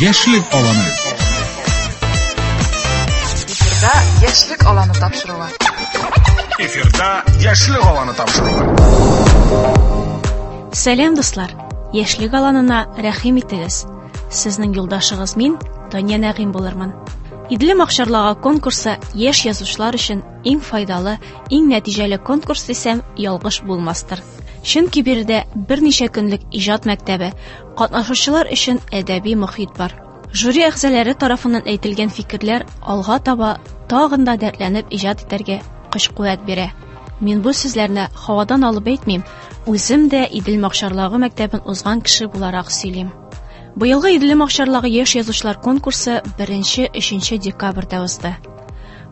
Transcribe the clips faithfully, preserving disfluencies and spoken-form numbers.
Яшьлек аланы. Эфирда Яшьлек аланы тапшыруы. Эфирда Яшьлек аланы тапшыруы. Сәлам, дуслар! Яшьлек аланына рәхим итегез. Сезнең юлдашыгыз мин, Таня Нәгыйм булырмын. Иделем акчарлагы конкурсы яшь язучылар өчен иң файдалы, иң нәтиҗәле конкурс дисәм, ялгыш булмастыр. Чөнки биредә берничә көнлек иҗат мәктәбе, катнашучылар өчен әдәби мохит бар. Жюри әгъзалары тарафыннан әйтелгән фикерләр алга таба тагын да дәртләнеп иҗат итәргә көч-куәт бирә. Мин бу сүзләрне һавадан алып әйтмим, үзем дә Иделем акчарлагы мәктәбен узган кеше буларак сөйлим. Быелгы Иделем акчарлагы яшь язучылар конкурсы беренче, өченче декабрьдә узды.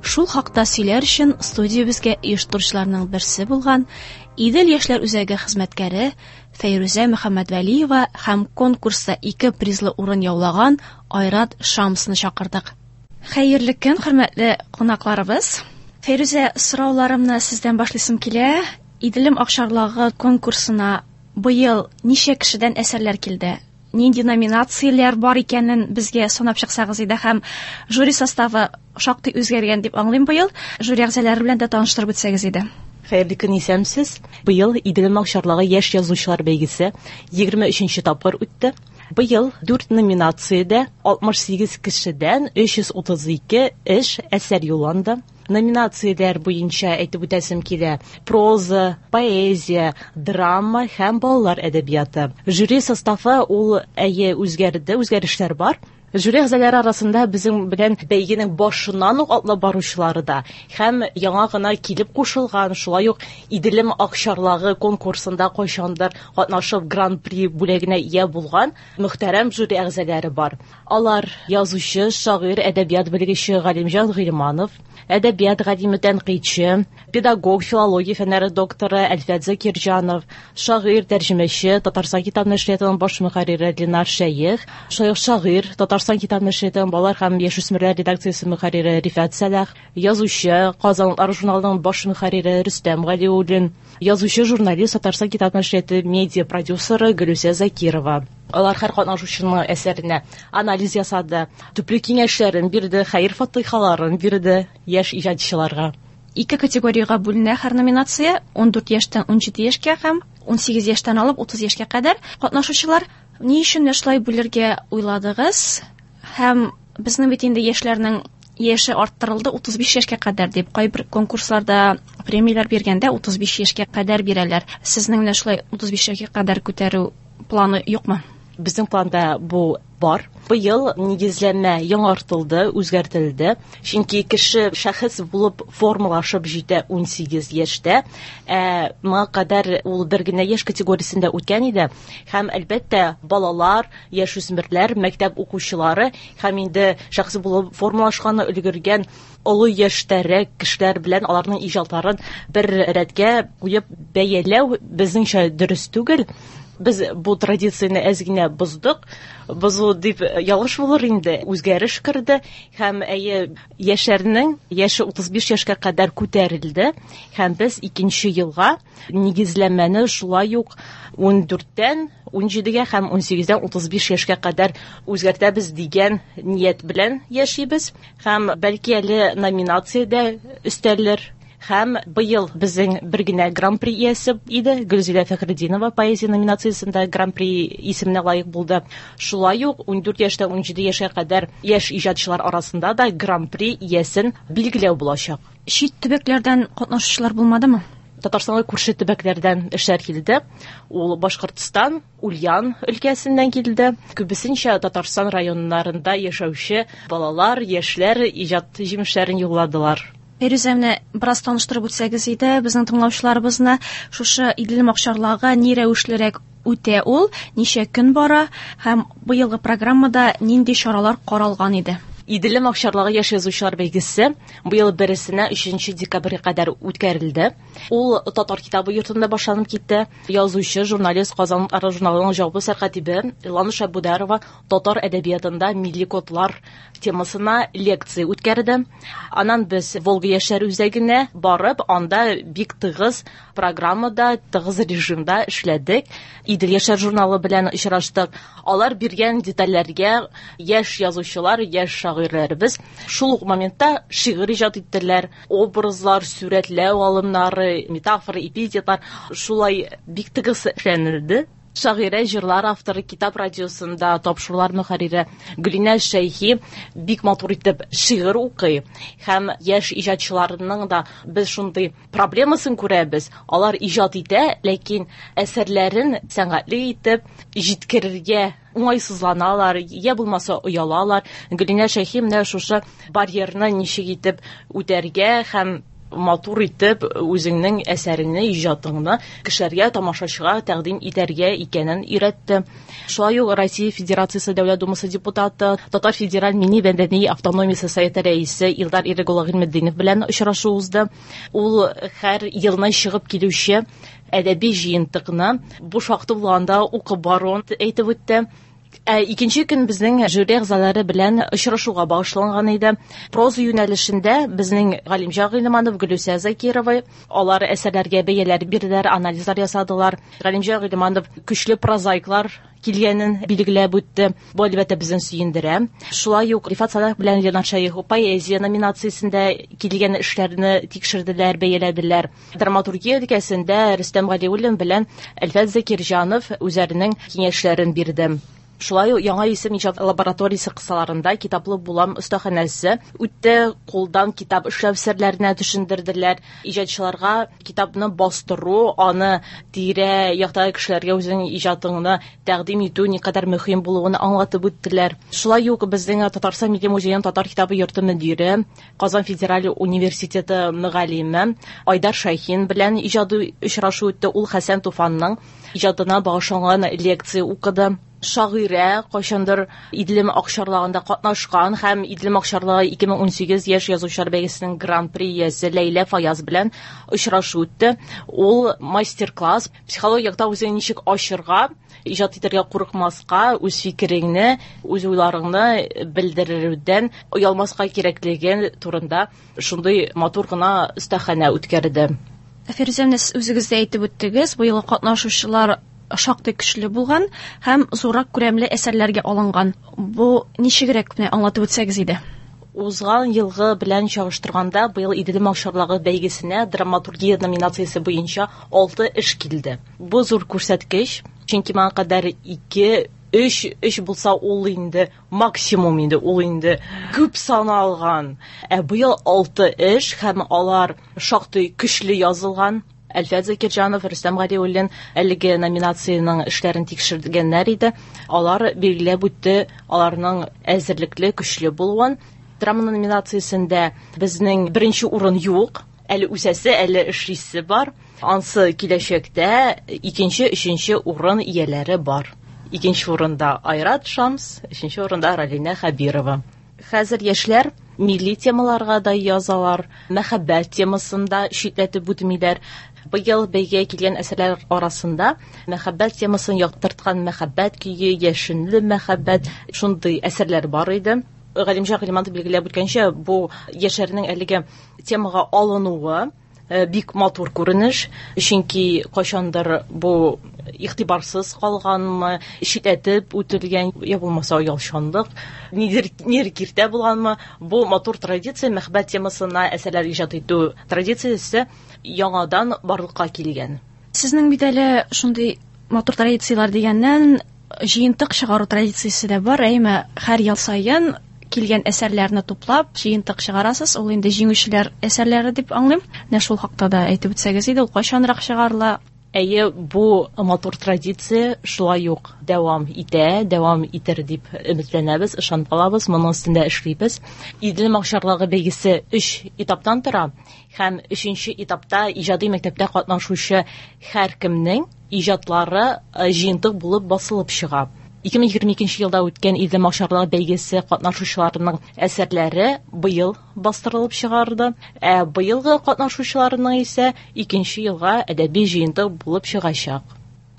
Шул хакта сөйләр өчен студиябезгә оештыручыларның берсе булган Идел яшьләр үзәге хезмәткәре Фәйрүзә Мөхәммәдвәлиева һәм конкурста ике призлы урын яулаган Айрат Шамсны чакырдык. Хәерле көн, хөрмәтле кунакларыбыз. Фәйрүзә, сорауларымны сездән башлыйсым килә. Иделем акчарлагы конкурсына быел ничә кешедән әсәрләр килде? Нинди номинацияләр бар икәнен безгә санап чыксагыз иде һәм жюри составы шактый үзгәргән дип аңлыйм быел. Жюри әгъзалары белән дә таныштырып үтсәгез иде. Хәерле көн, исәнмесез. Быел Иделем акчарлагы яшь язучылар бәйгесе егерме өченче тапкыр үтте. Быел дүрт номинациядә алтмыш сигез кешедән өч йөз утыз ике эш әсәр юлланды. Номинацияләр буенча әйтеп үтәсем килә: проза, поэзия, драма һәм балалар әдәбияты. Жюри составы ул әйе үзгәрде, үзгәрешләр бар. Жюри әгъзалары арасында безнең белән бәйгенең башыннан ук атлап баручылары да һәм яңа гына килеп кушылган, шулай ук Иделем акчарлагы конкурсында кайчандыр катнашып гран-при бүләгенә ия булган мөхтәрәм жюри әгъзалары бар. Алар язучы, шагыйрь, әдәбият белгече Галимҗан Гыйльманов, әдәбият галиме, тәнкыйтьче, педагог, филология фәннәре докторы Әлфәт Закирҗанов, шагыйрь, тәрҗемәче, Татарстан китап нәшриятының баш мөхәррире Ленар Шәех, шулай ук шагыйрь, Татарстан китап нәшриятының балалар һәм яшүсмерләр редакциясе мөхәррире Рифат Сәлах, язучы, Казан утлары журналының баш мөхәррире Рөстәм Галиуллин, язучы, журналист, Татарстан китап нәшрияты медиа продюсеры Гөлүсә Закирова. Алар һәр катнашучының әсәренә анализ ясады, төпле киңәшләрен бирде, хәер-фатихаларын бирде яшь иҗатчыларга. Ике категориягә бүленә һәр номинация: ун дүрт яшьтән ун җиде яшькә һәм ун сигез яшьтән алып утыз яшькә кадәр катнашучылар. Ни өчен шулай бүлергә уйладыгыз? Һәм безнең бит инде яшьләрнең яше арттырылды утыз биш яшькә кадәр дип, кайбер конкурсларда премияләр биргәндә утыз биш яшькә кадәр бирәләр. Сезнең менә шулай утыз биш яшькә кадәр күтәрү планы юкмы? Безнең планда бу бар. Быел нигезләмә яңартылды, үзгәртелде. Чөнки кеше шәхес булып формалашып җитә ун сигез яшьтә. Ә моңа кадәр ул бер генә яшь категориясендә үткән иде. Һәм әлбәттә балалар, яшүсмерләр, мәктәп укучылары һәм инде шәхес булып формалашканы өлгергән олы яшьтәрәк кешеләр белән аларның иҗатларын бер рәткә куеп бәяләү безнеңчә дөрес түгел. Без бу традицияне әз генә боздык. Бозу дип ялгыш булыр инде. Үзгәреш керде һәм әйе яшьләрнең яше утыз биш яшькә кадәр күтәрелде һәм без икенче елга нигезләмәне шулай ук ун дүрттән ун җидегә һәм ун сигездән утыз биш яшькә кадәр үзгәртәбез дигән ният белән яшибез һәм бәлки әле номинациядә өстәлер. Һәм быел безнең бер генә гран-при иясе иде, Гөлзилә Фәхретдинова поэзия номинациясендә гран-при исеменә лаек булды. Шулай ук ун дүрт яшьтән ун җиде яшькә кадәр яшь иҗатчылар арасында да гран-при иясен билгеләү булачак. Чит төбәкләрдән катнашучылар булмадымы? Татарстанга күрше төбәкләрдән эшләр килде. Ул Башкортстан, Ульян өлкәсеннән килде. Күбесенчә Татарстан районнарында яшәүче балалар, яшьләр иҗат җимешләрен юлладылар. Фәйрүзә, менә бераз таныштырып үтсәгез иде безнең тыңлаучыларыбызны, шушы Иделем акчарлагы ни рәвешлерәк үтә ул, ничә көн бара һәм быелгы программада нинди чаралар каралган иде? Иделем акчарлагы яшь язучылар бәйгесе быел бересенә өченче декабрьгә кадәр үткәрелде. Ул Татар китабы йортында башланып китте. Язучы, журналист, Казан журналының җаваплы сәркатибе Ландыш Әбүдәрова татар әдәбиятында милли кодлар темасына лекция үткәрде. Аннан без Волга яшьләр үзәгенә барып, анда бик тыгыз программада, тыгыз режимда эшләдек. Идел яшьләр журналы белән очраштык. Алар биргән детальләргә яшь язучылар, яшь шагыйрьләребез шул ук моментта шигырь иҗат иттеләр. Образлар, сурәтләү алымнары, метафора, эпитетлар шулай бик тыгыз эшләнелде. Шагыйрә, җырлар авторы, китап радиосында тапшырулар мөхәррире Гөлинә Шәйхи бик матур итеп шигырь укый. Һәм яшь иҗатчыларның да без шундый проблемасын күрәбез. Алар иҗат итә, ләкин әсәрләрен сәнгатьле итеп җиткерергә уңайсызланалар, я булмаса оялалар. Гөлинә Шәйхи менә шушы барьерны ничек итеп үтәргә һәм матур итеп үзеңнең әсәреңне, иҗатыңны кешеләргә, тамашачыга тәкъдим итәргә икәнен өйрәтте. Шулай ук Россия Федерациясе Дәүләт Думасы депутаты, Татар Федераль милли мәдәни автономиясе советы рәисе Илдар Ирек улы Гыйльметдинов белән очрашу узды. Ул һәр елны чыгып килүче әдәби җыентыкны буш вакыты булганда укып баруын әйтеп үтте. Ә икенче көн безнең жюри әгъзалары белән очрашуга багышланган иде. Проза юнәлешендә безнең Галимҗан Гыйльманов, Гөлүсә Закирова, алар әсәрләргә бәяләр бирделәр, анализлар ясадылар. Галимҗан Гыйльманов көчле прозаиклар килгәнен билгеләп үтте. Бу әлбәттә безне сөендерә. Шулай ук Рифат Салах белән Ленар Шәехов поэзия номинациясендә килгән эшләрне тикшерделәр, бәяләделәр. Драматургия өлкәсендә Рөстәм Галиуллин белән Әлфәт Закирҗанов үзләренең киңәшләрен бирде. Шулай ук Яңа исем иҗат лабораториясе кысаларында китаплы булам остаханәсе үтте. Кулдан китап эшләү серләренә төшендерделәр. Иҗатчыларга китапны бастыру, аны тирә яктагы кешеләргә үзеңнең иҗатыңны тәкъдим итү никадәр мөһим булуын аңлатып үттеләр. Шулай ук безнең Татарстан Милли музееның Татар китабы йорты мөдире, Казан федераль университеты мөгаллиме Айдар Шәйхин белән иҗади очрашу үтте. Ул Хәсән Туфанның иҗатына багышланган лекция укыды. Шагыйрә кайчандыр Иделем акчарлагында катнашкан һәм Иделем акчарлагы ике мең унсигез яшь язучылар бәйгесенең гран-при иясе Ләйлә Фаяз белән очрашу үтте. Ул мастер-класс психологик якта үзеңне ничек ачырга, иҗат итәргә курыкмаска, үз фикереңне, үз уйларыңны белдерүдән оялмаска кирәклеген турында шундый матур гына остаханә үткәрде. Фирүзә, менә сез үзегез дә әйтеп үттегез, бу елгы катнашучылар шактый көчле булган һәм зуррак күләмле әсәрләргә алынган. Бу ничегрәк менә аңлатып үтсәгез иде? Узган елгы белән чагыштырганда быел Иделем акчарлагы бәйгесенә драматургия номинациясе буенча алты эш килде. Бу зур күрсәткеч, чөнки моңа кадәр ике, өч, өч булса ул инде максимум инде, ул инде күп саналган. Ә быел алты эш һәм алар шактый көчле язылган. Әлфәт Закирҗанов, Рөстәм Галиуллин әлеге номинациянең эшләрен тикшергәннәр иде. Алар билгеләп үтте аларның әзерлекле, көчле булуын. Драма номинациясендә безнең беренче урын юк. Әле үсәсе, әле эшлисе бар. Ансы киләчәктә икенче, өченче урын ияләре бар. Икенче урында Айрат Шамс, өченче урында Ралинә Хәбирова. Хәзер яшьләр милли темаларга да язалар, мәхәббәт темасында читләтеп үтмиләр. Быел бәйгегә килгән әсәрләр арасында мәхәббәт темасын яктырткан мәхәббәт көе, яшенле мәхәббәт шундый әсәрләр бар иде. Галимҗан Гыйльманов билгеләп үткәнчә, бу яшьләрнең әлеге темага алынуы, э, бик матур күренеш, чөнки кайчандыр бу игътибарсыз калганмы, читләтеп үтелгән, я булмаса оялчанлык, нидер, нидер киртә булганмы, бу матур традиция, мәхәббәт темасына әсәрләр иҗат итү традициясе яңадан барлыкка килгән. Сезнең бит әле шундый матур традицияләр дигәннән җыентык чыгару традициясе дә бар, әйме, һәр ел саен килгән әсәрләрне туплап җыентык чыгарасыз, ул инде җиңүчеләр әсәрләре дип аңлыйм. Менә шул хакта да әйтеп үтсәгез иде, ул кайчанрак чыгарыла? Әйе, бу матур традиция шулай ук дәвам итә, дәвам итер дип өметләнәбез, ышанып калабыз, моның өстендә эшлибез. Иделем акчарлагы бәйгесе өч этаптан тора һәм өченче этапта иҗади мәктәптә катнашучы һәркемнең иҗатлары, э, җыентык булып басылып чыга. ике мең егерме икенче елда үткән Иделем акчарлагы бәйгесе катнашучыларының әсәрләре быел бастырылып чыгарды. Ә быелгы катнашучыларының исә икенче елга әдәби җыентык булып чыгачак.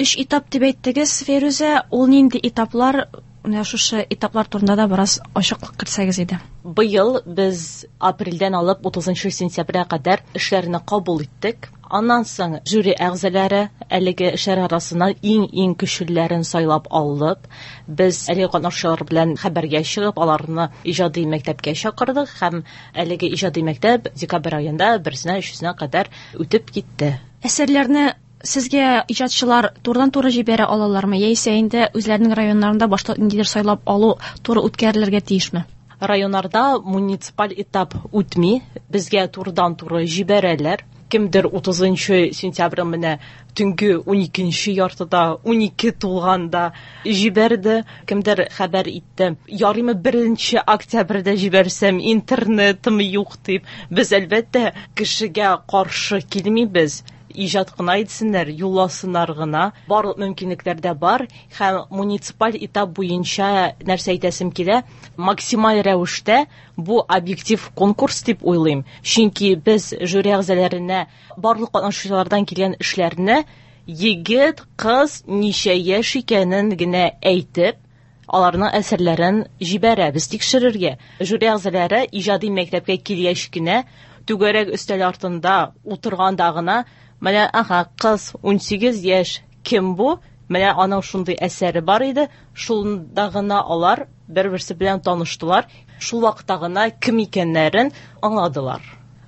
Өч этап дип әйттегез, Фәйрүзә, ул нинди этаплар? Менә шушы этаплар турында да бераз ачыклык кертсәгез иде. Быел без апрельдән алып утызынчы сентябрьгә кадәр эшләрне кабул иттек. Аннан соң жюри әгъзалары әлеге эшләр арасыннан иң-иң көчлеләрен сайлап алып, без әлеге катнашучылар белән хәбәргә чыгып, аларны иҗади мәктәпкә чакырдык һәм әлеге иҗади мәктәп декабрь аенда берсенә өчесенә кадәр үтеп китте. Әсәрләрне сезгә иҗатчылар турыдан-туры җибәрә алалармы, яисә инде үзләренең районнарында башта ниндидер сайлап алу туры үткәрелергә тиешме? Районнарда муниципаль этап үтми, безгә турыдан-туры җибәрәләр. Кемдер утызынчы сентябрь менә төнге уникенче яртыда, унике тулганда җибәрде, кемдер хәбәр итте. Ярыймы беренче октябрьдә җибәрсәм, интернетым юк дип. Без әлбәттә кешегә каршы килмибез. Иҗат кына итсеннәр, юлласыннар гына. Барлык мөмкинлекләр дә бар һәм муниципаль этап буенча нәрсә әйтәсем килә, максималь рәвештә бу объектив конкурс дип уйлыйм. Чөнки без жюри әгъзаларына барлык катнашучылардан килгән эшләрне егет, кыз ничә яшь икәнен генә әйтеп, аларның әсәрләрен җибәрәбез тикшерергә. Жюри әгъзалары иҗади мәктәпкә килгәч кенә түгәрәк өстәл артында утырганда гына менә, аха, кыз унсигез яшь, кем бу? Менә аның шундый әсәре бар иде. Шунда гына алар бер-берсе белән таныштылар. Шул вакытта гына кем икәннәрен аңладылар.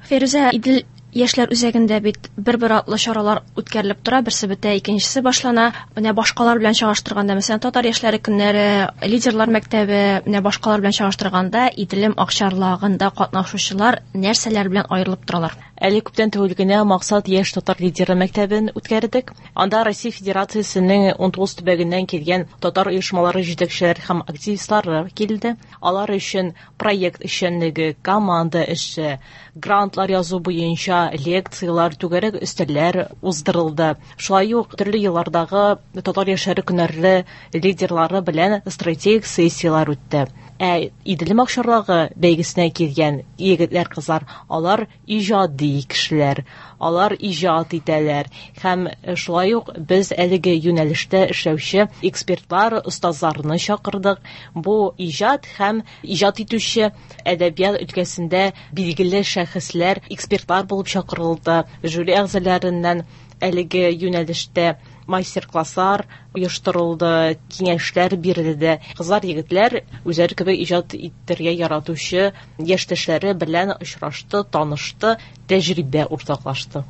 Фәйрүзә, Идел яшьләр үзәгендә бит бер-бер атлы чаралар үткәрелеп тора, берсе бетә, икенчесе башлана. Менә башкалар белән чагыштырганда, мәсәлән, татар яшьләре көннәре, лидерлар мәктәбе, менә башкалар белән чагыштырганда, Иделем акчарлагында катнашучылар нәрсәләр белән аерылып торалар? Әле күптән түгел генә Максат яшь татар лидеры мәктәбен үткәрдек. Анда Россия Федерациясенең унтугыз төбәгеннән килгән татар оешмалары җитәкчеләре һәм активистлары килде. Алар өчен проект эшчәнлеге, команда эше, грантлар язу буенча лекциялар, түгәрәк өстәлләр уздырылды. Шулай ук төрле еллардагы татар яшьләре көннәре лидерлары белән стратегик сессияләр үтте. Ә Иделем акчарлагы бәйгесенә килгән егетләр, кызлар, алар иҗади кешеләр, алар иҗат итәләр һәм шулай ук без әлеге юнәлештә эшләүче экспертлар, остазларны чакырдык. Бу иҗат һәм иҗат итүче әдәбият өлкәсендә билгеле шәхесләр, экспертлар булып чакырылды. Жюри әгъзаларыннан әлеге юнәлештә мастер-класслар оештырылды, киңәшләр бирелде. Кызлар, егетләр үзләре кебек иҗат итәргә яратучы яшьтәшләре белән очрашты, танышты, тәҗрибә уртаклашты.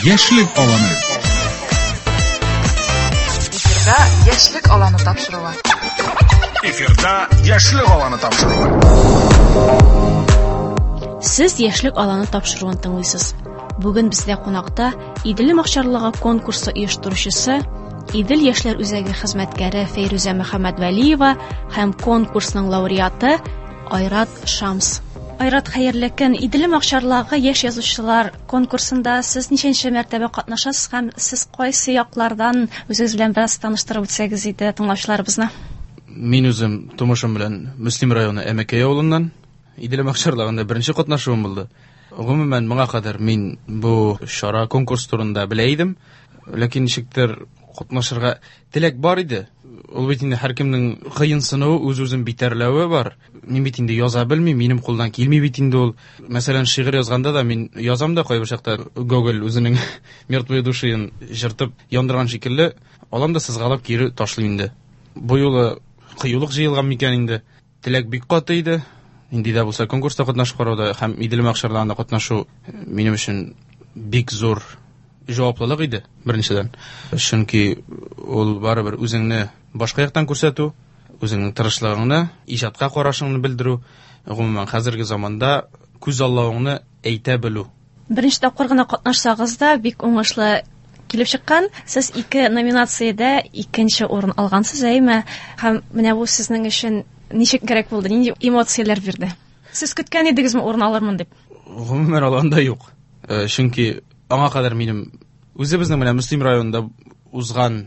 Яшьлек аланы. Эфирда Яшьлек аланы тапшыруы. Эфирда Яшьлек аланы тапшыруы. Сез Яшьлек аланы тапшыруын тыңлыйсыз. Бүген бездә кунакта Иделем акчарлыгы конкурсы оештыручысы, Идел яшьләр үзәге хезмәткәре Фәйрүзә Мөхәммәтвәлиева һәм конкурсның лауреаты Айрат Шамс. Айрат, хәерле көн. Иделем акчарлагы яшь язучылар конкурсында сез ничәнче мәртәбә катнашасыз һәм сез кайсы яклардан үзегез белән бераз таныштырып үтсәгез иде тыңлаучыларыбызны? Мин үзем тумышым белән Мөслим районы Әмәкәй авылыннан. Иделем акчарлагында беренче катнашуым булды. Гомумән, моңа кадәр мин бу чара конкурс турында белә идем, ләкин ничектер катнашырга теләк бар иде. Ул бит инде һәркемнең кыенсынуы, үз-үзен битәрләве бар. Мин бит инде яза белмим, минем кулдан килми бит инде ул. Мәсәлән, шигырь язганда да мин язам да кайбер чакта Гоголь үзенең Мертвые души-ын җыртып яндырган шикелле, алам да сызгалап кире ташлыйм инде. Бу юлы кыюлык җыелган микән инде? Теләк бик каты иде. Инде дә булса конкурста катнашып карауда һәм Иделем акчарларында катнашу минем өчен бик зур җаваплылык иде, беренчедән. Чөнки ул барыбер үзеңне башка яктан күрсәтү, үзеңнең тырышлыгыңны, иҗатка карашыңны белдерү, гомумән хәзерге заманда күз аллавыңны әйтә белү. Беренче тапкыр гына катнашсагыз да бик уңышлы килеп чыккан. Сез ике номинациядә икенче урын алгансыз, әйме? Һәм менә бу сезнең өчен ничек кирәк булды, нинди эмоцияләр бирде? Сез көткән идегезме урын алырмын дип? Гомумән алганда юк. Чөнки аңа кадәр минем үзебезнең менә Мөслим районында узган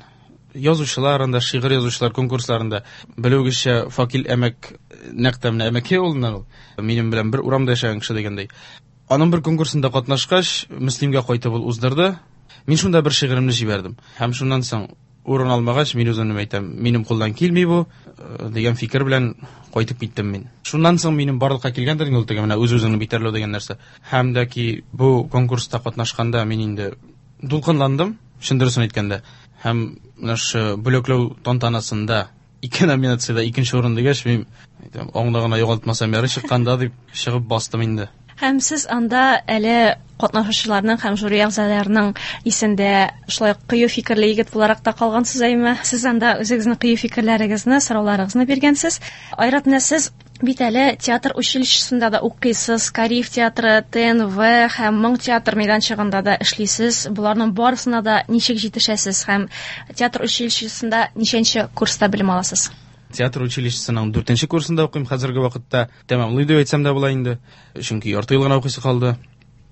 Язучылар анда, шигырь язучылар конкурсларында. Белүегезчә, Факил Әмәк нәкъ тә менә Әмәкәй авылыннан ул. Минем белән бер урамда яшәгән кеше дигәндәй. Аның бер конкурсында катнашкач, Мөслимгә кайтып ул уздырды. Мин шунда бер шигыремне җибәрдем. Һәм шуннан соң урын алмагач, мин үземне әйтәм, минем кулдан килми бу дигән фикер белән кайтып киттем мин. Шуннан соң минем барлыкка килгәндер инде ул теге менә үз-үзеңне битәрләү дигән нәрсә. Һәм дә ки бу конкурста катнашканда мин инде дулкынландым, чын дөресен әйткәндә. Һәм менә шу бүләкләү тантанасында ике номинациядә икенче урын дигәч, мин әйтәм, аңны гына югалтмасам ярый чыкканда дип чыгып бастым инде. Һәм сез анда әле катнашучыларның һәм жюри әгъзаларының исендә шулай кыю фикерле егет буларак та калгансыз, әйме? Сез анда үзегезнең кыю фикерләрегезне, сорауларыгызны биргәнсез. Айрат, менә сез бит әле театр училищесында да укыйсыз, Кариев театры, Т Н В һәм Моң театр мәйданчыгында да эшлисез. Боларның барысына да ничек җитешәсез һәм театр училищесында ничәнче курста белем аласыз? Театр училищесының дүртенче курсында укыйм хәзерге вакытта. Тәмамлый дип әйтсәм дә була инде. Чөнки ярты ел гына укыйсы калды.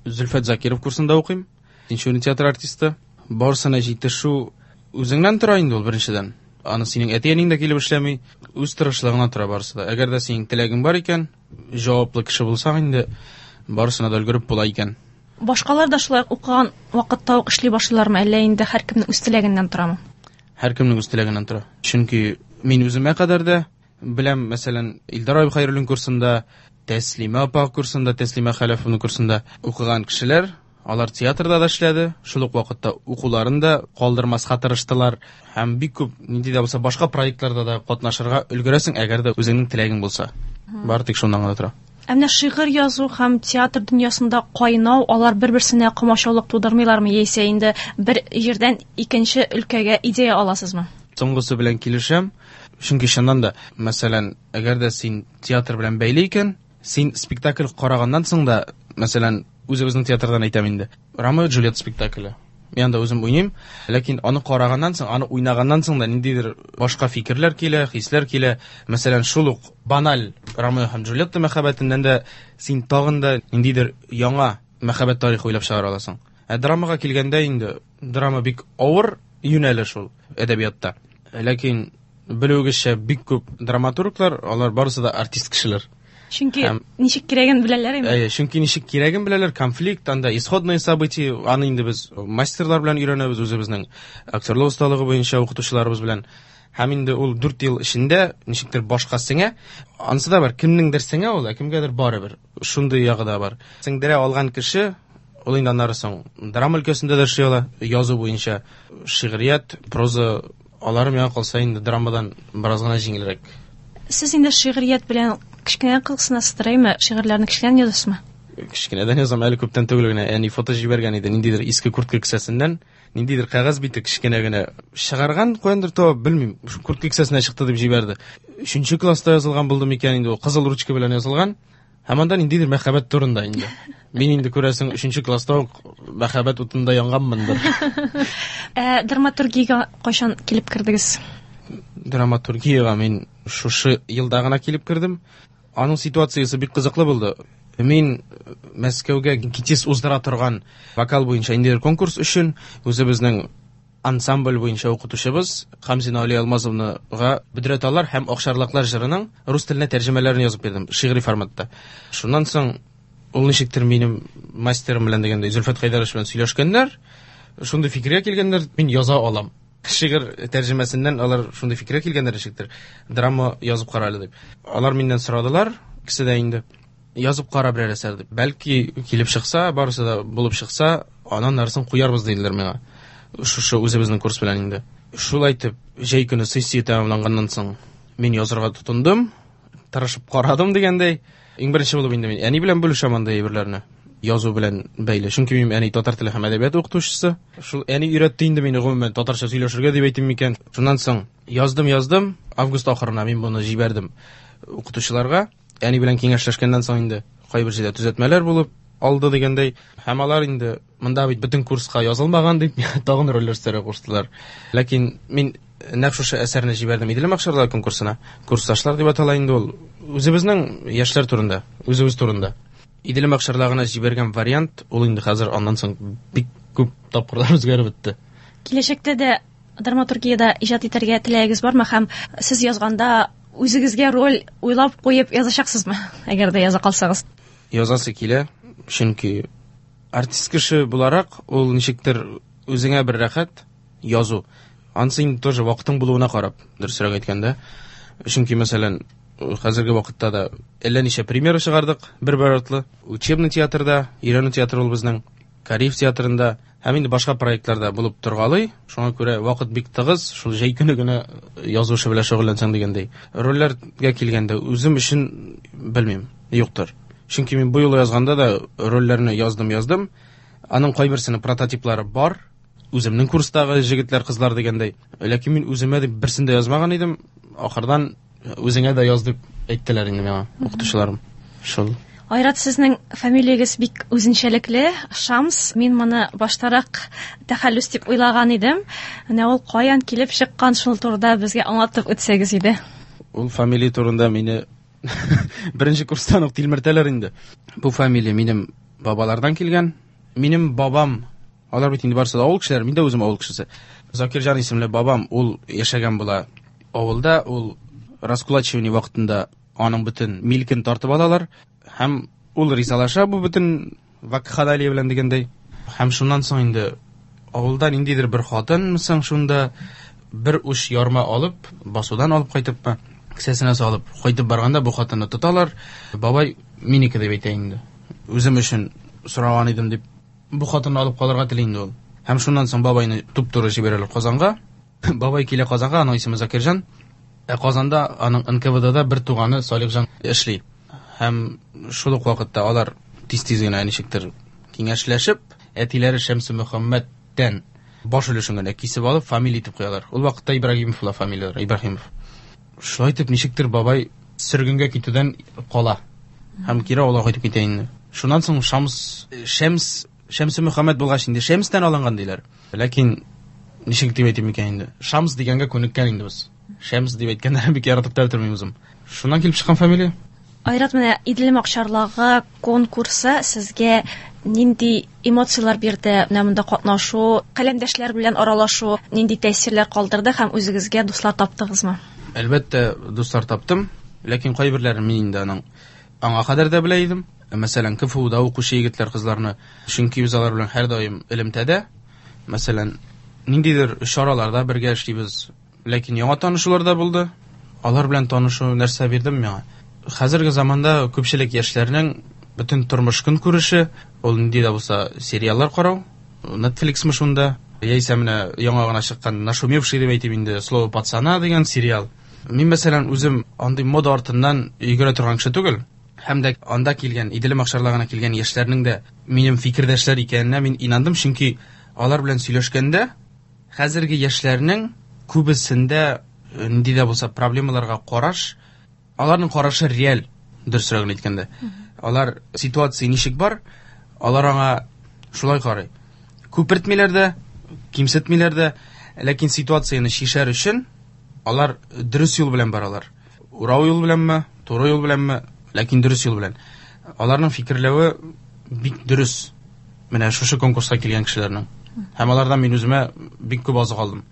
Зөлфәт Закиров курсында укыйм. Тинчурин театр артисты. Барысына җитешү үзеңнән тора инде ул беренчедән. Аны синең әти-әниең дә килеп эшләми, үз тырышлыгыңнан тора барысы да. Әгәр дә синең теләгең бар икән, җаваплы кеше булсаң инде, барысына да өлгереп була икән. Башкалар да шулай укыган вакытта ук эшли башлыйлармы, әллә инде һәркемнең үз теләгеннән торамы? Һәркемнең үз теләгеннән тора. Чөнки мин үземә кадәр дә беләм, мәсәлән, Илдар абый Хәйруллин курсында, Тәслимә апа курсында, Тәслимә Хәләфовна курсында укыган кешеләр, алар театрда да эшләде, шул ук вакытта укуларын да калдырмаска тырыштылар һәм бик күп нинди дә булса башка проектларда да катнашырга өлгерәсең, әгәр дә үзеңнең теләгең булса. Бары тик шуннан гына тора. Ә менә шигырь язу һәм театр дөньясында кайнау, алар бер-берсенә комачаулык тудырмыйлармы, яисә инде бер җирдән икенче өлкәгә идея аласызмы? Соңгысы белән килешәм. Чөнки чыннан да, мәсәлән, әгәр дә син театр белән бәйле икән, син спектакль караганнан соң да, мәсәлән, үзебезнең театрдан әйтәм инде. Ромео и Джульетта спектакле. Мин анда үзем уйныйм, ләкин аны караганнан соң, аны уйнаганнан соң да ниндидер башка фикерләр килә, хисләр килә. Мәсәлән, шул ук баналь Ромео һәм Джульетта мәхәббәтеннән дә син тагын да ниндидер яңа мәхәббәт тарихы уйлап чыгара аласың. Ә драмага килгәндә инде, драма бик авыр юнәлеш ул әдәбиятта. Ләкин белүегезчә, бик күп драматурглар, алар барысы да артист кешеләр. Чөнки Һәм- ничек кирәген беләләр инде. Әйе, чөнки ничек кирәген беләләр, конфликт, анда исходные события, аны инде без мастерлар белән өйрәнәбез, үзебезнең актерлык осталыгы буенча укытучыларыбыз белән. Һәм инде ул дүрт ел эчендә ничектер башка сеңә, анысы да бар, кемнеңдер сеңә ул, ә кемгәдер барыбер. Шундый ягы да бар. Сеңдерә алган кеше, ул инде аннары соң драма өлкәсендә дә эшли ала, язу буенча шигърият, проза, алары миңа калса инде драмадан бераз гына җиңелрәк. Сез инде шигърият белән кечкенә кызыксынасыздыр, әйме? Шигырьләрне кечкенәдән язасызмы? Кечкенәдән язам, әле күптән түгел генә әни фото җибәргән иде, ниндидер иске куртка кесәсеннән, ниндидер кәгазь бите кечкенә генә чыгарган, каяндыр табып, белмим, шу куртка кесәсенә чыкты дип җибәрде. Өченче класста язылган булды микән инде ул, кызыл ручка белән язылган. Һәм анда ниндидер мәхәббәт турында инде. Мин инде күрәсең, өченче класста ук мәхәббәт утында янганмындыр. Ә драматургиягә кайчан килеп кердегез? Драматургиягә мин шушы елда гына килеп кердем. Аның ситуациясе бик кызыклы булды. Мин Мәскәүгә ГИТИС уздыра торган вокал буенча ниндидер конкурс өчен үзебезнең ансамбль буенча укытучыбыз Хамзина Алия Алмазовнага Бөдрә таллар һәм Акчарлаклар җырының рус теленә тәрҗемәләрен язып бирдем, шигъри форматта. Шуннан соң ул ничектер минем мастерым белән дигәндәй, Зөлфәт Хәйдәрович белән сөйләшкәннәр, шундый фикергә килгәннәр, мин яза алам. Шигырь тәрҗемәсеннән алар шундый фикергә килгәннәр ничектер, драма язып кара әле дип. Алар миннән сорадылар, икесе дә инде, язып кара берәр әсәр дип. Бәлки килеп чыкса, барысы да булып чыкса, аннан нарысын куярбыз диделәр миңа. Шушы үзебезнең курс белән инде. Шулай итеп, җәй көне сессия тәмамланганнан соң мин язырга тотындым, тырышып карадым дигәндәй. Иң беренче булып инде мин әни белән бүлешәм андый әйберләрне. Язу белән бәйле. Чөнки минем әни татар теле һәм әдәбият укытучысы. Шул әни өйрәтте инде мине гомумән татарча сөйләшергә дип әйтим микән. Шуннан соң яздым, яздым. Август ахырына мин моны җибәрдем укытучыларга. Әни белән киңәшләшкәннән соң инде кайбер җирдә төзәтмәләр булып алды дигәндәй. Һәм алар инде монда бит бөтен курска язылмаган дип тагын рольләр өстәргә куштылар. Ләкин мин нәкъ шушы әсәрне җибәрдем Идел Махшарлар конкурсына. Курсташлар дип атала инде ул. Үзебезнең яшьләр турында, үзебез турында. Идел Махшарлагына җибәргән вариант ул инде хәзер аннан соң бик күп тапкырлар үзгәреп бетте. Киләчәктә дә Драматургиядә иҗат итәргә теләгегез бармы һәм сез язганда үзегезгә роль уйлап куеп язачаксызмы, әгәр дә яза калсагыз? Язасы килә, чөнки артист кеше буларак ул ничектер үзеңә бер рәхәт язу. Ансы инде тоже вакытың булуына карап, дөресрәк әйткәндә. Чөнки, мәсәлән, хәзерге вакытта да әллә ничә премьера чыгардык бер-бер артлы. Учебный театрда, өйрәнү театры ул безнең, Кариев театрында һәм инде башка проектларда булып торгалый. Шуңа күрә вакыт бик тыгыз, шул җәй көне генә язу эше белән шөгыльләнсәң дигәндәй. Рольләргә килгәндә үзем өчен белмим, юктыр. Чөнки мин бу юлы язганда да рольләрне яздым, яздым. Аның кайберсенең прототиплары бар. Үземнең курстагы җегетләр, кызлар дигәндәй. Ләкин мин үземә дип берсен дә язмаган идем. Ахырдан үзеңә дә яз дип әйттеләр инде миңа укытучыларым. Шул. Айрат, сезнең фамилиягез бик үзенчәлекле, Шамс. Мин моны баштарак тәхәллүс дип уйлаган идем. Менә ул каян килеп чыккан, шул турыда безгә аңлатып үтсәгез иде. Ул фамилия турында мине беренче курстан ук тилмертәләр инде. Бу фамилия минем бабалардан килгән. Минем бабам, алар бит инде барысы да авыл кешеләре, мин дә үзем авыл кешесе. Закирҗан исемле бабам, ул яшәгән була авылда, ул раскулачивание вакытында аның бөтен милкен тартып алалар һәм ул ризалаша бу бөтен вакханалия белән дигәндәй. Һәм шуннан соң инде авылда ниндидер бер хатын соң шунда бер уч ярма алып, басудан алып кайтыпмы, кесәсенә салып кайтып барганда бу хатынны тоталар. Бабай минеке дип әйтә инде. Үзем өчен сораган идем дип бу хатынны алып калырга тели инде ул. Һәм шуннан соң бабайны туп-туры җибәрәләр Казанга. Бабай килә Казанга, аның исеме Закирҗан. Ә Казанда аның эн ка вэ дэ-да бер туганы Салихҗан эшли. Һәм шул ук вакытта алар тиз-тиз генә ничектер киңәшләшеп, әтиләре Шәмсе Мөхәммәттән баш өлешен генә кисеп алып фамилия итеп куялар. Ул вакытта Ибрагимов була фамилияләре, Ибрагимов. Шулай итеп ничектер бабай сөргенгә китүдән кала. Һәм кире авылга кайтып китә инде. Шуннан соң Шамс, Шәмс, Шәмсе Мөхәммәт булгач инде Шәмстән алынган диләр. Ләкин ничек дип әйтим икән инде? Шамс дигәнгә күнеккән инде без. Шәмс дип әйткәннәрен бик яратып та бетермим үзем. Шуннан килеп чыккан фамилия. Айрат, менә Иделем акчарлагы конкурсы сезгә нинди эмоцияләр бирде? Менә монда катнашу, каләмдәшләр белән аралашу нинди тәэсирләр калдырды һәм үзегезгә дуслар таптыгызмы? Әлбәттә, дуслар таптым, ләкин кайберләрен мин инде аның аңа кадәр дә белә идем. Мәсәлән, ка эф у-да укучы егетләр, кызларны, чөнки без алар белән һәрдаим элемтәдә. Мәсәлән, ниндидер чараларда бергә эшлибез. Ләкин яңа танышулар да булды. Алар белән танышу нәрсә бирдем миңа? Хәзерге заманда күпчелек яшьләрнең бөтен тормыш көнкүреше ул нинди дә булса сериаллар карау, Netflixмы шунда, яисә менә яңа гына чыккан нашумевший дип әйтим инде, Слово пацана дигән сериал. Мин мәсәлән үзем андый мода артыннан йөгерә торган кеше түгел. Һәм дә анда килгән, Иделем акчарлагына килгән яшьләрнең дә минем фикердәшләр икәненә мин инандым, чөнки алар белән сөйләшкәндә хәзерге яшьләрнең күбесендә нинди дә булса проблемаларга караш, аларның карашы реаль, дөресрәген әйткәндә. Алар ситуация ничек бар, алар аңа шулай карый. Күпертмиләр дә, кимсетмиләр дә, ләкин ситуацияне чишәр өчен алар дөрес юл белән баралар. Урау юл беләнме, туры юл беләнме, ләкин дөрес юл белән. Аларның фикерләве бик дөрес. Менә шушы конкурска килгән кешеләрнең. Һәм алардан мин үземә бик күп азык алдым.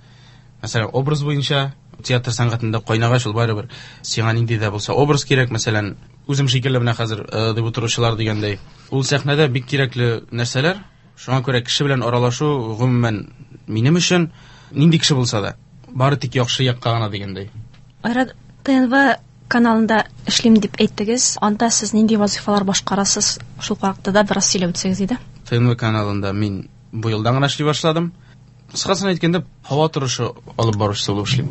Мәсәлән, образ буенча театр сәнгатендә кайнагач ул барыбер сиңа нинди дә булса образ кирәк, мәсәлән, үзем шикелле менә хәзер, э, дип утыручылар дигәндәй. Ул сәхнәдә бик кирәкле нәрсәләр. Шуңа күрә кеше белән аралашу гомумән минем өчен нинди кеше булса да бары тик яхшы якка гына дигәндәй. Айрат, тэ эн вэ каналында эшлим дип әйттегез. Анда сез нинди вазифалар башкарасыз? Шул хакта да бераз сөйләп үтсәгез иде. тэ эн вэ каналында мин бу елдан гына эшли башладым. Кыскасын әйткәндә, һава торышы алып баручысы булып эшлим.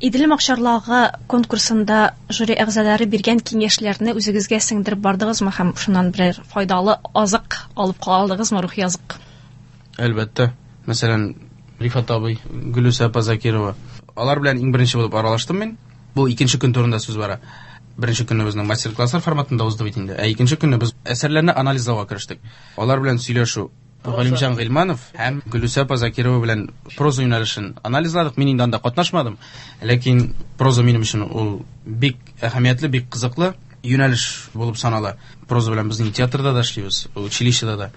Иделем акчарлагы конкурсында жюри әгъзалары биргән киңәшләрне үзегезгә сеңдереп бардыгызмы һәм шуннан берәр файдалы азык алып кала алдыгызмы, рухи азык? Әлбәттә. Мәсәлән, Рифат абый, Гөлүсә апа Закирова. Алар белән иң беренче булып аралаштым мин. Бу икенче көн турында сүз бара. Беренче көнне безнең мастер-класслар форматында узды бит инде. Ә икенче көнне без әсәрләрне анализлауга керештек. Алар белән сөйләшү Галимҗан Гыйльманов һәм Гөлүсә апа Закирова белән проза юнәлешен анализладык. Мин инде анда катнашмадым, ләкин проза минем өчен ул бик әһәмиятле, бик кызыклы юнәлеш булып санала. Проза белән безнең театрда да эшлибез, училищеда да.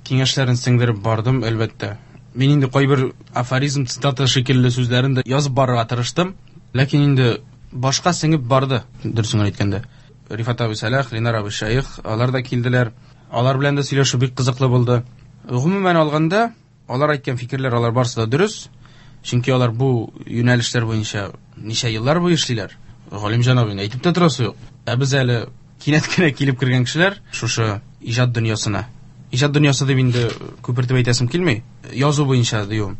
Киңәшләрен сеңдереп бардым, әлбәттә. Мин инде кайбер афоризм, цитата шикелле сүзләрен дә язып барырга тырыштым. Ләкин инде башка сеңеп барды, дөресен әйткәндә. Рифат абый Сәлах, Ленар абый Шәех, алар да килделәр. Алар белән дә сөйләшү бик кызыклы булды. Гомумән алганда, алар әйткән фикерләр алар барысы да дөрес. Чөнки алар бу юнәлешләр буенча ничә еллар буе эшлиләр. Галимҗан абыйны әйтеп тә торасы юк. Ә без әле кинәт кенә килеп кергән кешеләр шушы иҗат дөньясына. Иҗат дөньясы дип инде күпертеп әйтәсем килми. Язу буенча диюем.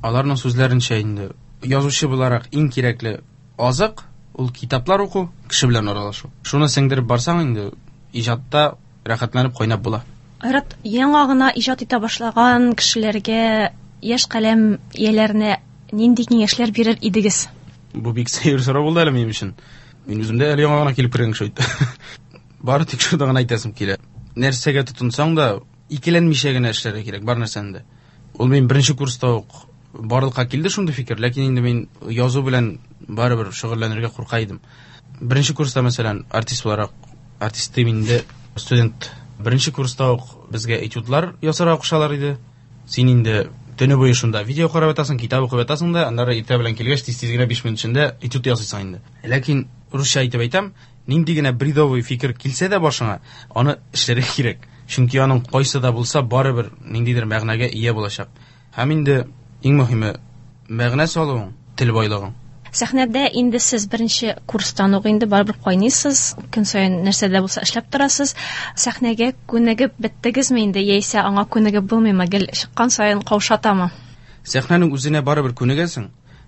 Аларның сүзләренчә инде язучы буларак иң кирәкле азык ул китаплар уку, кеше белән аралашу. Шуны сеңдереп барсаң инде иҗатта рәхәтләнеп кайнап була. Айрат, яңа гына иҗат итә башлаган кешеләргә, яшь каләм ияләренә нинди киңәшләр бирер идегез? Бу бик сәер сорау булды әле минем өчен. Мин үзем дә әле яңа гына килеп кергән кеше бит. Бары тик шуны гына әйтәсем килә. Нәрсәгә тотынсаң да, икеләнмичә генә эшләргә кирәк бар нәрсәне дә. Ул мин беренче курста ук барлыкка килде шундый фикер, ләкин инде мин язу белән барыбер шөгыльләнергә курка идем. Беренче курста, мәсәлән, артист буларак, артист дим инде, студент. Беренче курста ук безгә этюдлар ясарга кушалар иде. Син инде төне буе шунда видео карап ятасың, китап укып ятасың да, аннары иртә белән килгәч тиз-тиз генә биш минут эчендә этюд ясыйсың инде. Ләкин русча әйтеп әйтәм, нинди генә бредовый фикер килсә дә башыңа, аны эшләргә кирәк. Чөнки аның кайсы да булса барыбер ниндидер мәгънәгә ия булачак. Һәм инде иң мөһиме мәгънә салуың, тел байлыгың. Сәхнәдә инде сез беренче курстан ук инде барыбер кайныйсыз, көн саен нәрсә дә булса эшләп торасыз. Сәхнәгә күнегеп беттегезме инде, яисә аңа күнегеп булмыймы, гел чыккан саен каушатамы? Сәхнәнең үзенә барыбер күнегәсең,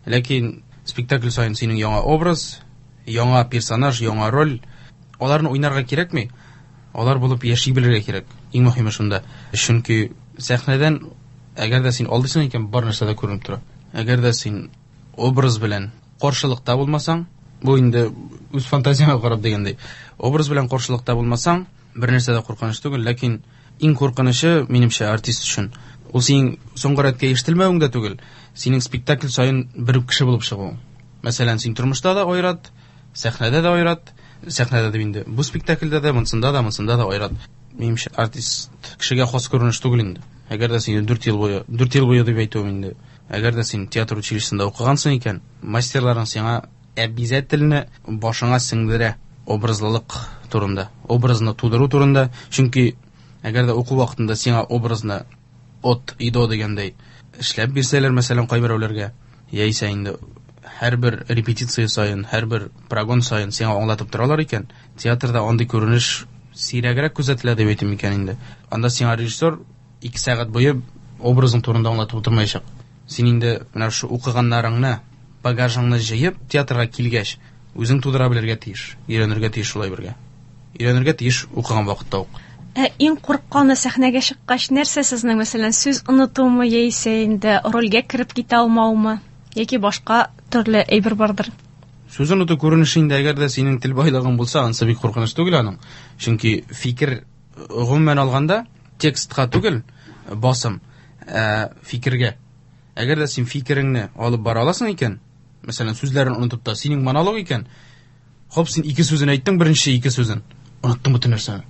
ләкин спектакль саен синең яңа образ, яңа персонаж, яңа роль, аларны уйнарга кирәкми, алар булып яши белергә кирәк. Иң мөһиме шунда. Чөнки сәхнәдән әгәр дә син алдыйсың икән, бар нәрсә дә күренеп тора. Әгәр дә син образ белән каршылыкта булмасаң, бу инде үз фантазияңа карап дигәндәй, образ белән каршылыкта булмасаң, бер нәрсә дә куркыныч түгел, ләкин иң куркынычы, минемчә, артист өчен, ул синең соңгы рәткә ишетелмәвең дә түгел, синең спектакль саен бер үк кеше булып чыгуың. Мәсәлән, син тормышта да Айрат, сәхнәдә дә Айрат, сәхнәдә дә инде бу спектакльдә дә, монсында да, монсында да Айрат. Минемчә, артист кешегә хас күренеш түгел инде. Әгәр дә син дүрт ел буе, дүрт ел буе дип әйтүем инде, әгәр дә син театр училищесында укыгансың икән, мастерларың сиңа обязательно башыңа сеңдерә образлылык турында, образны тудыру турында. Чөнки әгәр дә уку вакытында сиңа образны от и до дигәндәй эшләп бирсәләр, мәсәлән, кайберәүләргә, яисә инде һәрбер репетиция саен, һәрбер прогон саен сиңа аңлатып торалар икән, театрда андый күренеш сирәгрәк күзәтелә дип әйтим икән инде. Анда сиңа режиссер ике сәгать буе образың турында аңлатып утырмаячак. Син инде менә шу укыганнарыңны, багажыңны җыеп, театрга килгәч, үзең тудыра белергә тиеш, өйрәнергә тиеш шулай бергә. Өйрәнергә тиеш укыган вакытта ук. Ә иң курыкканы сәхнәгә чыккач нәрсә сезнең, мәсәлән, сүз онытумы, яисә инде рольгә кереп китә алмаумы, яки башка төрле әйбер бардыр? Сүз оныту күренеше инде, әгәр дә синең тел байлыгың булса, ансы бик куркыныч түгел аның. Чөнки фикер гомумән алганда текстка түгел, басым, ә, фикергә. Әгәр дә син фикереңне алып бара аласың икән, мәсәлән, сүзләрен онытып та, синең монолог икән, хоп, син ике сүзен әйттең, беренче ике сүзен, оныттың бөтен нәрсәне.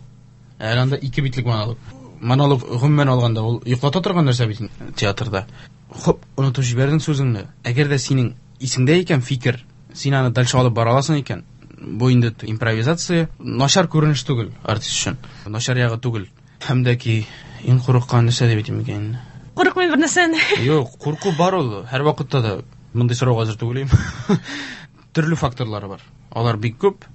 Әле анда ике битлек монолог. Монолог гомумән алганда ул йоклата торган нәрсә бит театрда. Хоп, онытып җибәрдең сүзеңне. Әгәр дә синең исеңдә икән фикер, син аны дальше алып бара аласың икән, бу инде импровизация, начар күренеш түгел артист өчен. Начар ягы түгел. Һәм дә ки иң курыккан нәрсә дип әйтим икән инде. Курыкмый бер нәрсәне. Юк, курку бар ул. Һәр вакытта да мондый сорауга әзер түгел идем. Төрле факторлары бар. Алар бик күп.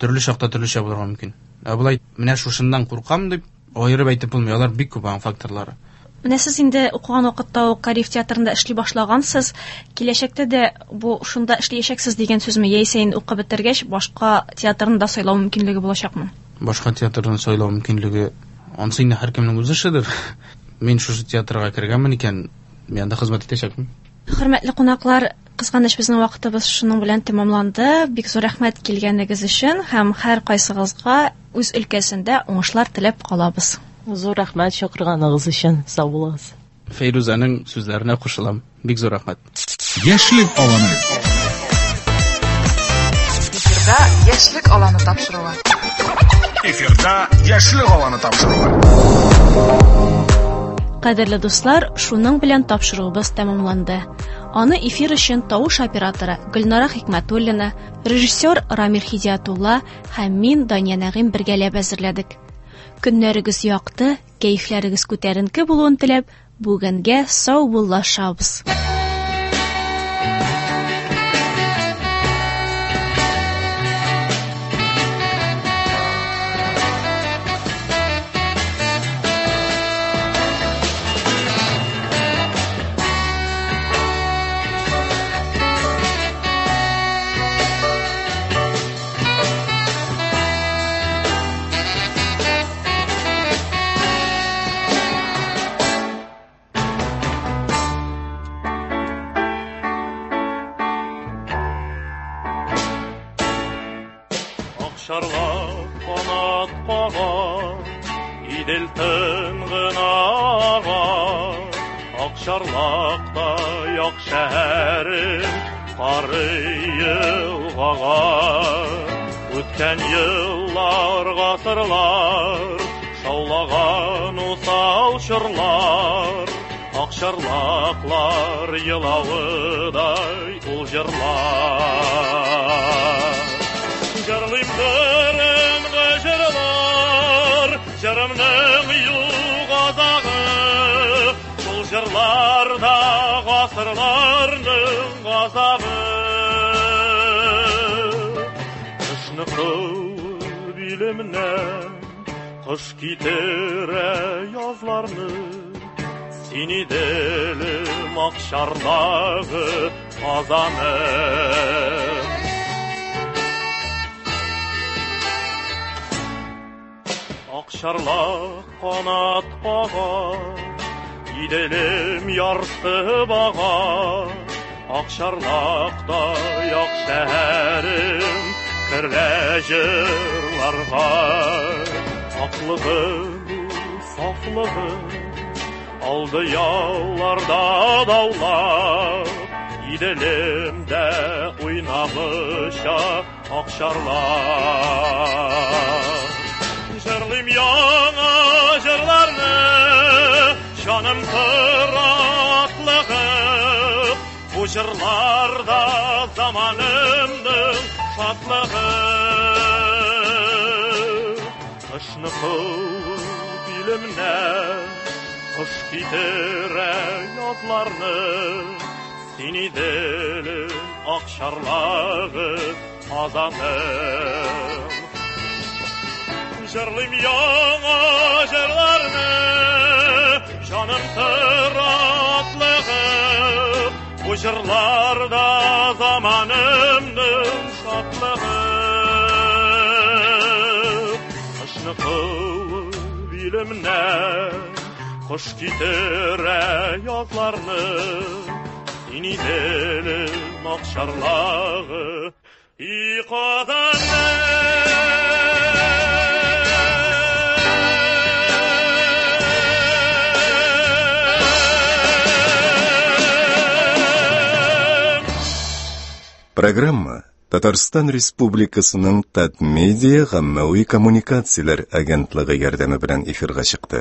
Төрле чакта төрлечә булырга мөмкин. Ә болай менә шушыннан куркам дип аерып әйтеп булмый. Алар бик күп аның факторлары. Менә сез инде укыган вакытта ук Кариев театрында эшли башлагансыз. Киләчәктә дә бу шунда эшләячәксез дигән сүзме, яисә инде укып бетергәч башка театрны да сайлау мөмкинлеге булачакмы? Башка театрны сайлау мөмкинлеге ансы инде һәркемнең үз эшедер. Мин шушы театрга кергәнмен икән, мин анда хезмәт итәчәкмен. Хөрмәтле кунаклар, кызганыч безнең вакытыбыз шуның белән тәмамланды. Бик зур рәхмәт килгәнегез өчен һәм һәр кайсыгызга үз өлкәсендә уңышлар теләп калабыз. Зур рәхмәт чакырганыгыз өчен. Сау булыгыз. Фәйрүзәнең сүзләренә кушылам. Бик зур рәхмәт. Яшьлек аланы. Эфирда Яшьлек аланы тапшыруы. Эфирда Яшьлек аланы тапшыруы. Кадерле дуслар, шуның белән тапшыруыбыз тәмамланды. Аны эфир өчен тавыш операторы Гөлнара Хикмәтуллина, режиссер Рамил Хидиятулла һәм мин Дания Нәгыйм бергәләп әзерләдек. Көннәрегез якты, кәефләрегез күтәренке булуын теләп, бүгенгә саубуллашабыз. Акчарлак канат кага, Идел тын гына ага. Акчарлакта як шәһәрем, карый елгага. Үткән еллар, гасырлар, шаулаган усал чорлар, Акчарлаклар елавыдай ул җырлар. Җырлыйм борынгы җырлар, җырымның юк азагы. Шул җырларда гасырларның газабы. Кышны куып илемнән, кыш китерә язларны. Син Иделем акчарлагы Казаным. Акчарлак канат кага, Иделем ярсып ага. Акчарлакта як шәһәрем, керле җырларга. Аклыгы, сафлыгы, алды ялларда даулап, Иделемдә уйнамыша акчарлак. Җырлыйм яңа җырларны, җаным тора атлыгып. Бу җырларда заманымның шатлыгы. Кышны куып илемнән, кыш китерә язларны. Син Иделем акчарлагы Казаным. Җырлыйм яңа җырларны, җаным тора атлыгып. Бу җырларда заманымның шатлыгы. Кышны куып илемнән, кыш китерә язларны. Син Иделем акчарлагы и Казаным. Программа Татарстан Республикасының Татмедиа гаммәви коммуникацияләр агентлыгы ярдәме белән эфирга чыкты.